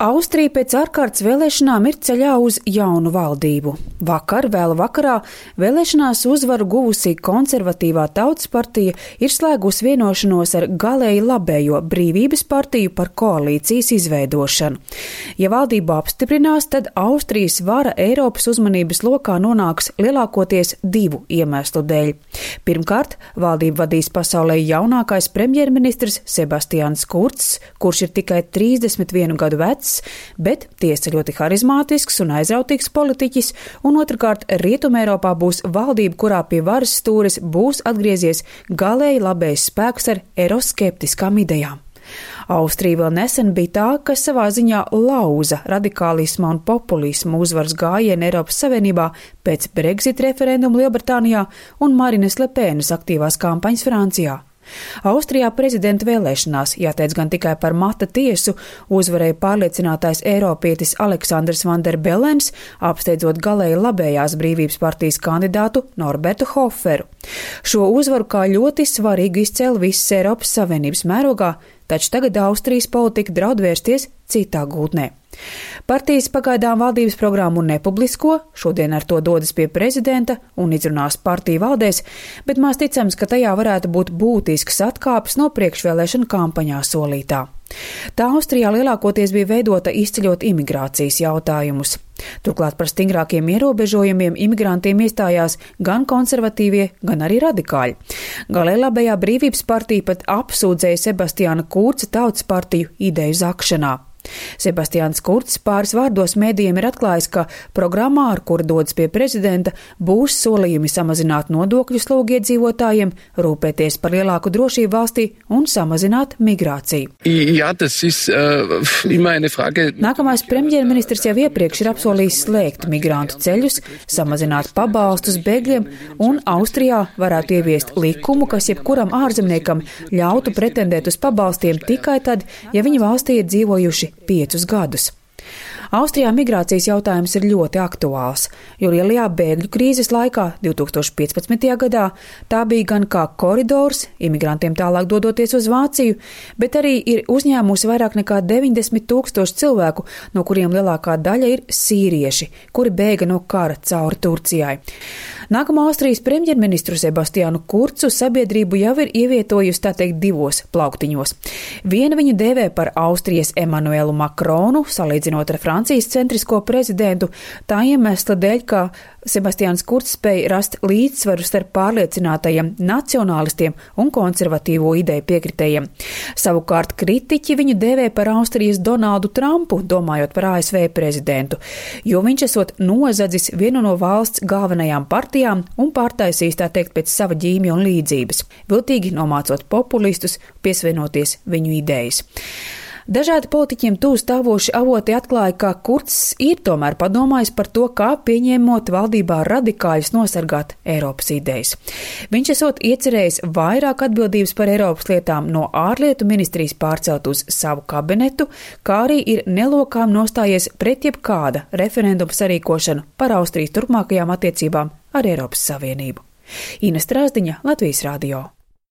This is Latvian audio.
Austrija pēc ārkārtas vēlēšanām ir ceļā uz jaunu valdību. Vakar, vēlu vakarā, vēlēšanās uzvaru guvusī konservatīvā Tautas partija ir slēgusi vienošanos ar galēji labējo Brīvības partiju par koalīcijas izveidošanu. Ja valdību apstiprinās, tad Austrijas vara Eiropas uzmanības lokā nonāks lielākoties divu iemeslu dēļ. Pirmkārt, valdību vadīs pasaulē jaunākais premjerministrs Sebastians Kurcs, kurš ir tikai 31 gadu vecs, bet tiesa ļoti harizmātisks un aizrautīgs politiķis, un otrkārt Rietumeiropā būs valdība, kurā pie varas stūres būs atgriezies galēji labējs spēks ar eiroskeptiskām idejām. Austrija vēl nesen bija tā, kas savā ziņā lauza radikālisma un populisma uzvaras gājienu Eiropas Savienībā pēc Brexit referenduma Lielbritānijā un Marinas Lepēnas aktīvās kampaņas Francijā. Austrijā prezidenta vēlēšanās, jāteic gan tikai par mata tiesu, uzvarēja pārliecinātais eiropietis Aleksandrs Van der Bellens, apsteidzot galēji labējās Brīvības partijas kandidātu Norbertu Hoferu. Šo uzvaru kā ļoti svarīgu izcēla visas Eiropas Savienības mērogā, taču tagad Austrijas politika draud vērsties citā gultnē. Partijas pagaidām valdības programmu nepublisko, šodien ar to dodas pie prezidenta un izrunās partiju valdēs, bet maz ticams, ka tajā varētu būt būtisks atkāpes no priekšvēlēšana kampaņā solītā. Tā Austrijā lielākoties bija veidota izceļot imigrācijas jautājumus. Turklāt par stingrākiem ierobežojumiem imigrantiem iestājās gan konservatīvie, gan arī radikāļi. Galēji labējā Brīvības partija pat apsūdzēja Sebastiāna Kurca Tautas partiju ideju zakšanā. Sebastians Kurcs pāris vārdos mēdījiem ir atklājis, ka programmā, ar kuru dodas pie prezidenta, būs solījumi samazināt nodokļu slogu iedzīvotājiem, rūpēties par lielāku drošību valstī un samazināt migrāciju. Nākamais premjerministrs jau iepriekš ir apsolījis slēgt migrantu ceļus, samazināt pabalstus bēgļiem un Austrijā varētu ieviest likumu, kas jebkuram ārzemniekam ļautu pretendēt uz pabalstiem tikai tad, ja viņi valstī ir dzīvojuši 5 gadus. Austrijā migrācijas jautājums ir ļoti aktuāls, jo lielajā bēgļu krīzes laikā 2015. gadā tā bija gan kā koridors, imigrantiem tālāk dodoties uz Vāciju, bet arī ir uzņēmusi vairāk nekā 90 000 cilvēku, no kuriem lielākā daļa ir sīrieši, kuri bēga no kara cauri Turcijai. Nākamā Austrijas premjerministru Sebastiānu Kurcu sabiedrību jau ir ievietojusi, tā teikt, divos plauktiņos. Viena viņu dēvē par Austrijas Emanuelu Makronu, salīdzinot ar Francijas centrisko prezidentu, tā iemesla dēļ, ka Sebastians Kurcs spēja rast līdzsvaru starp pārliecinātajiem nacionālistiem un konservatīvo ideju piekritējiem. Savukārt kritiķi viņu dēvē par Austrijas Donaldu Trumpu, domājot par ASV prezidentu, jo viņš esot nozadzis vienu no valsts galvenajām partijām un pārtaisījis, tā teikt, pēc sava ģīmja un līdzības, viltīgi nomācot populistus, piesvienoties viņu idejas. Dažādi politiķiem tuvu stāvoši avoti atklāja, ka Kurcs ir tomēr padomājis par to, kā pieņēmot valdībā radikāļus nosargāt Eiropas idejas. Viņš esot iecerējis vairāk atbildības par Eiropas lietām no ārlietu ministrijas pārcelt uz savu kabinetu, kā arī ir nelokām nostājies pret jebkāda referenduma sarīkošanu par Austrijas turpmākajām attiecībām ar Eiropas Savienību. Ina Strāzdiņa, Latvijas radio.